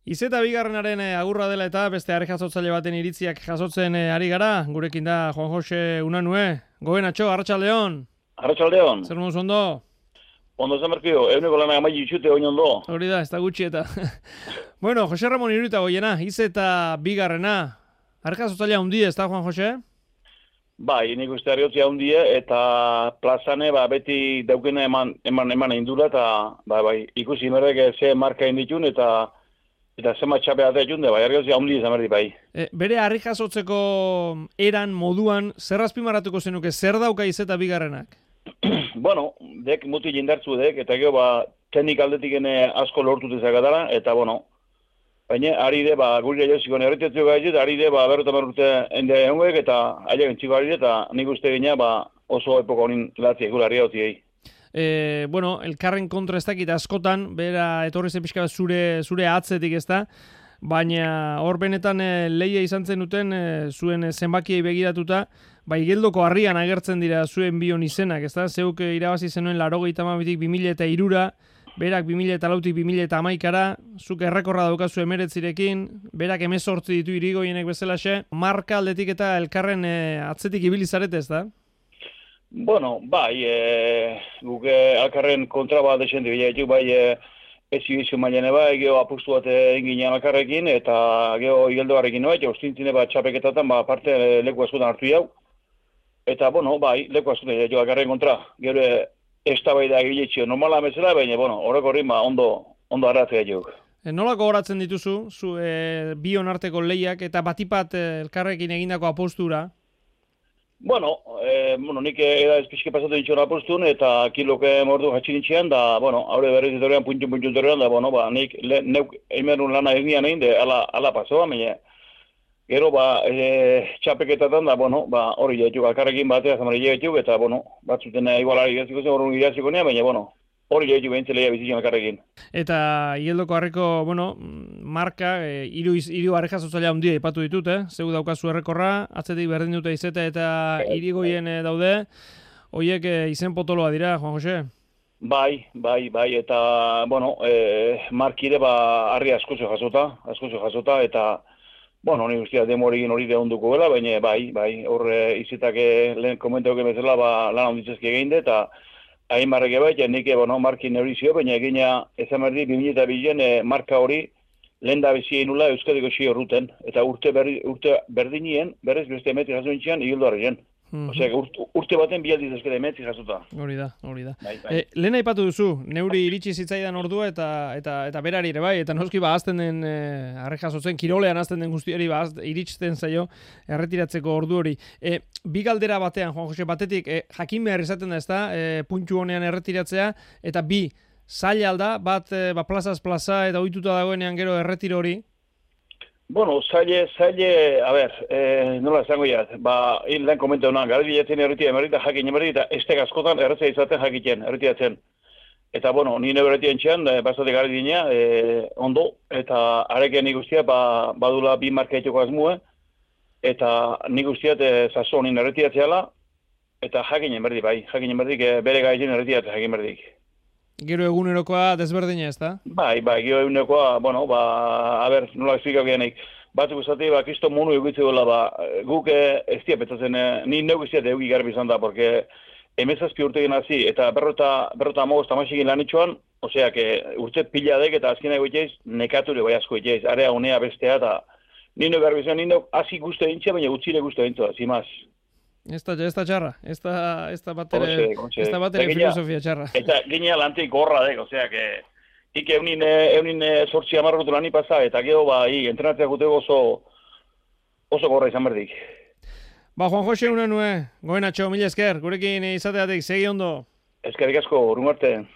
Izeta bigarrenaren agurra dela eta beste are jasotzaile baten iritziak jasotzen ari gara. Gurekin da Juan Jose Unanue. Gobenatxo, Arratsaldeon. Arratsaldeon. Zer moduz ondo? Ondo zamerkio, eguneko lana amai itxute oin ondo. Hori da, ez da gutxi eta. Bueno, Jose Ramon Iruita goiena, Izeta bigarrena. Are jasotzailea hundi ez da, Juan Jose? Bai, nik uste harriotzi handie eta plazane beti daukene eman indura eta bai, ikusi merdek ze marka inditun eta zema txape ate junde, bai, harriotzi handi zamerdi bai. Bere harri jasotzeko eran moduan, zer azpimarratuko zenuke, zer dauka Izeta bigarrenak? Bueno, dek muti jindartzu dek, eta gero teknik aldetik asko lortu dezakatara, eta baina ari de, guri joziko nerretetzio gaitu, ari de, berrota merrute ende egunguek, eta aileak entziko ari de, eta nik uste gina, oso epoka honin latziek gula harriotziei. Bueno, elkarren kontra ez dakit askotan, bera etorri zen pixka zure atzetik ez da, baina hor benetan lehia izan zen duten zuen zenbakiei begiratuta, Igeldoko harrian agertzen dira zuen bion izenak, ez da? Zeuk irabazi zenuen 92tik 2003ra, berak 2004tik 2011ra, zuk errekorra daukazu 19rekin, berak 18 ditu Irigoienek bezalaxe, marka aldetik eta elkarren atzetik ibili zarete, ez da? Bueno, bai, guk alkarren kontra bat desendi bilaituk, ez izu mailene bai, geho apustu bat egin alkarrekin, eta geho Igeldoarekin bai, ostintzine txapeketatan, parte leku askotan hartu jau. Eta, bai, leku askotan jo alkarren kontra, gero ez da bai da egiletxio normala bezala, baina, horreko horri ondo arratzea jok. Nolako horatzen dituzu, bion arteko lehiak, eta batipat elkarrekin egindako apustura? Nik eda ezpizke pasatu ditxon apostun, eta kiloke mordu jatxinitxean, da, haure berriz etorrean, puntxun etorrean, da, nik neuk eimerun lana egian egin, ala pasoa, baina, gero, txapeketatan, da, hori jaituk, alkarrekin batea, zamari jaituk, eta, batzuten igualari iraziko zen, horren iraziko nea, baina, hori jaituk behintzeleia bizitzen alkarrekin. Eta Igeldoko harriko, marka, hiru harri jasotzailea handia ipatu ditut, zeu daukazu errekorra, atzetik berdin dute Izeta eta Irigoien daude, horiek izen potoloa dira, Juan Jose? Bai, eta, markire harri askozo jasota, eta, ni guztia demoregin hori deunduko gela, baina, bai, hor Izetak lehen komentauke bezala, lan handitzezke egin de, eta hain barreke bai, nik markin eurizio, baina egina ezamerdi 2002 marka hori lehen da bizia inula Euskadiko xio ruten, eta urte berdinien, berrez beste emetri jaso nintxean, Igeldoarren. Osea, urte baten bialdiz eskede emetri jasota. Hori da. Bai. Lehen aipatu duzu, neuri iritsi zitzaidan ordua eta berari ere bai, eta noski azten den harri jasotzen, kirolean azten den guztiari iristen zaio erretiratzeko ordu hori. Bi galdera batean, Juan Jose, batetik, jakin behar izaten da ez da, puntu honean erretiratzea, eta bi, zaila alda, bat plazaz plaza eta ohituta dagoenean gero erretiro hori? Zaile, nola esango jat, lehen komenta honan, gara bilatzen erretira jakin emerri, eta estek askotan erretzea izaten jakiten, erretiratzen. Eta, ni nebe erretien txean, bastatik gara dina, ondo, eta arekean nik guztia, badula bi marka etxoko azmue, eta nik guztiat zazo honin erretiratzeala, eta jakin emerdi, bere gaitzen erretiratzen jakin emerdik. Gero egunerokoa desberdina ez da? Bai, gero egunerokoa, nola esplikau genik. Batzuk esate, kristo monu egitze gola, guk ez dia petzatzen, ni neuk ez dia eugi garbi izan da, porque emezazpi urte gen hazi, eta berrota amogoz tamaxekin lan itxoan, osea, urte pila dek eta azkenak goiteiz, nekature bai asko goiteiz, area unea bestea, eta ni neuk garbi izan, ni neuk hazi guztu egintza, baina gutxire guztu egintza, zimaz. Ez da txarra, ez da batere filosofia txarra. Eta ginean lantik gorra dek, osea, ik eunin sortzi amarrotu lani pasa, eta gero entrenatzea guteko oso gorra izan berdik. Juan Jose Unanue, goenatxo, mila esker, gurekin izateatik, segi ondo. Eskerrik asko, urrun arte.